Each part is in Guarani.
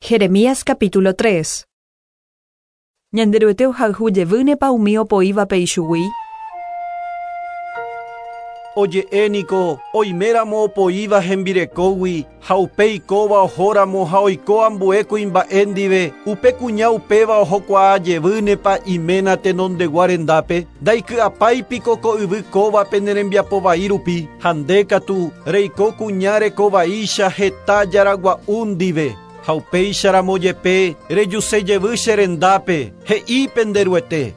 Jeremías capítulo 3. Ñanderuete ohayhu jevýnepa umi opoívape ichugui? Oje'e niko, oiméramo opoíva hembirekógui, ha upéi kóva ohóramo ha oiko ambue kuimba'e ndive, upe kuña upéva ohokuaa jevýnepa iména tenondegua rendápe, ndaiky'apái piko ko yvy kóva pene rembiapo vai rupi, ha nde katu reiko kuña reko vaícha heta jaragua'u ndive. Ha upéicharamo jepe rejuse jevy che rendápe, he'i pende Ruete.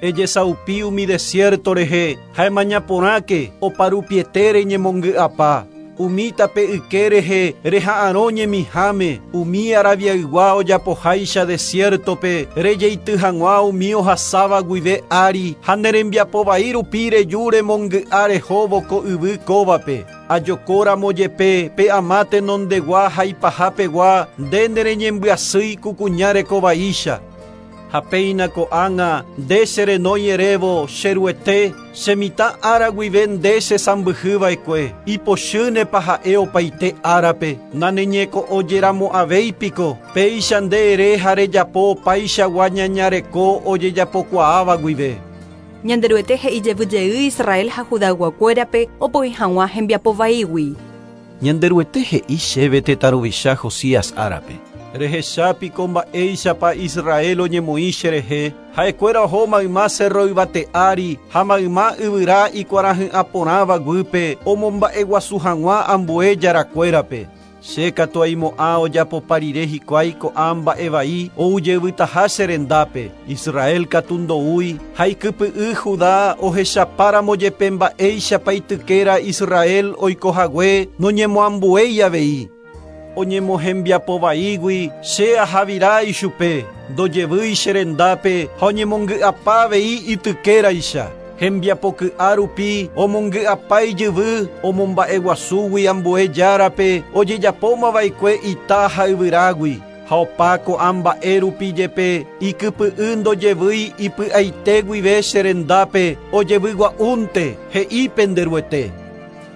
Ejesaupi umi desierto rehe, ha emaña porãke oparupiete reñemongy'apa. Umi tape yke rehe reha'arõ ñemiháme, umi Arabiaygua ojapoháicha desiertope, rejeity hag̃ua umi ohasáva guive ári ha ne rembiapo vai rupi reju remongy'a rehóvo ko yvy kóvape. Ajokóramo jepe pe ama tenondegua ha ipahapegua nde nereñembyasýi ku kuña reko vaícha. Ha péina ko'ág̃a nde cherenói erévo che Ruete, che mitã ára guive nde chesãmbyhyva'ekue, ipochýnepa ha'e opaite árape, naneñeko'õjeramo'ãvéi piko, péicha nde ere ha rejapo opaichagua ñañareko ojejapokuaáva guive. Ñanderuete he'i jevyjey Israel ha Judayguakuérape opoi hag̃ua hembiapo vaígui. Ñanderuete he'i chéve tetã ruvicha Josías árape. Rehecha piko mba'éichapa Israel oñemoĩ cherehe, ha'ekuéra oho mayma cerro yvate ári ha mayma yvyra ikuarahy'ã porãva guýpe omomba'eguasu hag̃ua ambue jarakuérape. Che katu aimo'ã ojapopa rire hikuái ko'ã mba'e vai oujeyvytaha che rendápe. Israel katu ndoúi ha ikypy'y Judá ohechapáramo jepe mba'éichapa itykéra Israel oikohague noñemoambuéi avei. Oñemohembiapo vaígui che ahavira ichupe, ndojevýi che rendápe ha oñemongy'apa avei itykéraicha. Hembiapoky'a rupi omongy'apa ijyvy omomba'eguasúgui ambue járape ojejapómava'ekue ita ha yvyrágui. Ha opa ko'ã mba'e rupi jepe ikypy'y ndojevýi ipy'aite guive che rendápe ojevygua'únte he'i pende Ruete.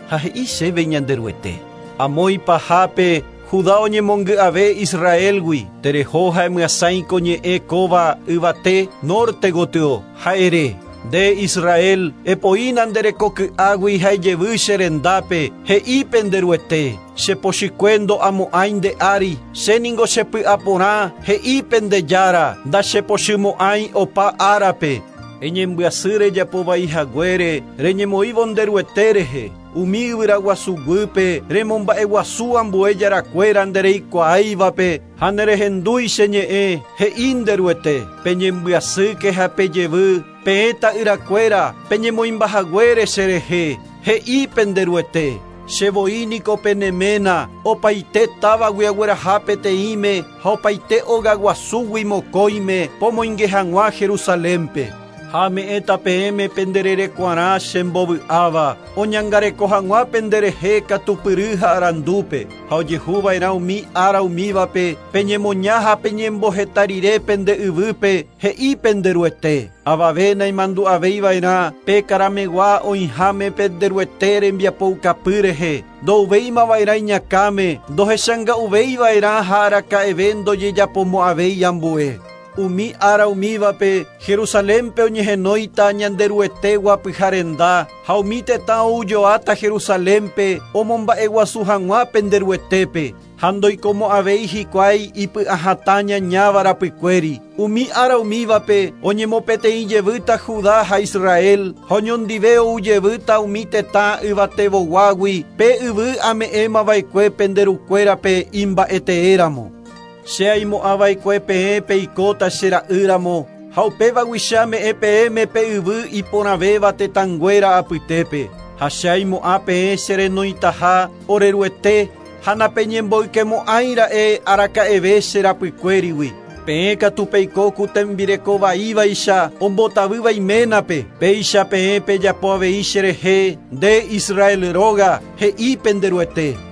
Ha he'i chéve Ñanderuete. Amo ipahápe Judá oñemongy'ave Israelgui, tereho ha emyasãi ko ñe'ẽ kóva yvate norte gotyo ha ere. Nde Israel, epoína nde rekoky'águi ha ejevy che rendápe, he'i pende Ruete. Chepochykue ndo'amo'ãi nde ári, che ningo chepy'aporã, he'i pende Jára, ndachepochymo'ãi opa árape. Eñembyasy rejapo vai haguére, reñemoĩvo nde Ruete rehe. Umi yvyraguasu guýpe remomba'eguasu ambue jarakuéra ndereikuaáivape ha nerehendúi che ñe'ẽ, he'i nde Ruete. Peñembyasýke ha pejevy, peẽ ta'yrakuéra, peñemoĩmbahaguére cherehe, he'i pende Ruete. Che voi niko pene ména, opaite távagui agueraha peteĩme ha opaite ogaguasúgui mokõime pomoinge hag̃ua Jerusalénpe. Ha ame'ẽta peẽme pende rerekuarã chembovy'áva, oñangareko hag̃ua penderehe katupyry ha arandúpe, ha ojehuva'erã umi ára umívape peñemoña ha peñemboheta rire pende yvýpe, he'i pende Ruete. Avave naimandu'avéiva'erã pe karamegua oĩháme pende Ruete rembiapoukapy rehe, ndouvéimava'erã iñakãme, ndohechanga'uvéiva'erã ha araka'eve ndojejapomo'ãvéi ambue. Umi ára umívape Jerusalénpe oñehenóita Ñanderuete guapyha renda ha umi tetã oujoáta Jerusalénpe omomba'eguasu hag̃ua pende Ruetépe ha ndoikomo'ãvéi hikuái ipy'ahatã ñañáva rapykuéri. Umi ára umívape oñemopeteĩ jevýta Judá ha Israel ha oñondive oujevýta umi tetã yvatevoguágui pe yvy ame'ẽmava'ekue pende rukuérape imba'eteéramo. Che aimo'ãva'ekue peẽ peikóta che ra'ýramo ha upévagui che ame'ẽ peẽme pe yvy iporãvéva tetãnguéra apytépe. Ha che aimo'ã peẽ cherenoitaha ore Ruete ha napeñemboykemo'ãira'e araka'eve che rapykuérigui. Peẽ katu peiko ku tembireko vaívaicha ombotavýva iménape, péicha peẽ pejapo avei cherehe nde Israel róga, he'i pende Ruete.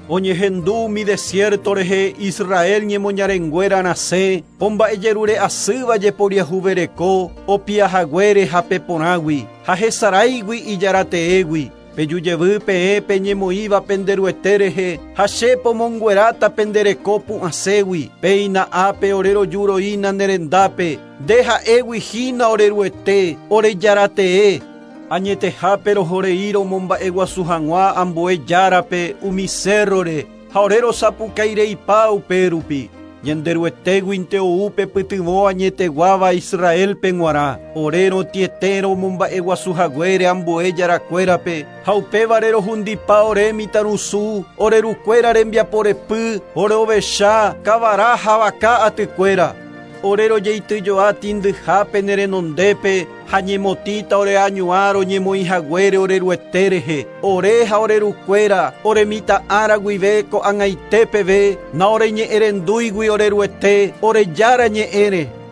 Oñehendu umi desierto rehe Israel ñemoñarenguéra rasẽ, omba'ejerure asýva jeporiahuvereko, opiahaguére hape porãgui, ha hesaráigui ijarateégui. Peju jevy peẽ peñemoĩva pende Ruete rehe ha che pomongueráta pende reko pu'ãségui. Péina ápe ore rojuroína ne rendápe. Nde ha'égui hína ore Ruete, ore Jaratee. Añetehápe rohorei romomba'eguasu hag̃ua ambue járape umi cérrore ha ore rosapukaireipa upérupi. Ñanderuetéguinte ou pe pytyvõ añeteguáva Israelpe g̃uarã. Ore rotĩete romomba'eguasu haguére ambue jarakuérape ha upévare rohundipa ore mitãrusu, ore rukuéra rembiaporepy, ore ovecha, kavara ha vaka atykuéra. Ore rojeityjoa tĩndyhápe ne renondépe ha ñemotĩta ore añuã roñemoĩ haguére ore Ruete rehe. Ore ha ore rukuéra, ore mitã'ára guive ko'ag̃aite peve, naoreñe'ẽrendúigui ore Ruete, ore Jára ñe'ẽre.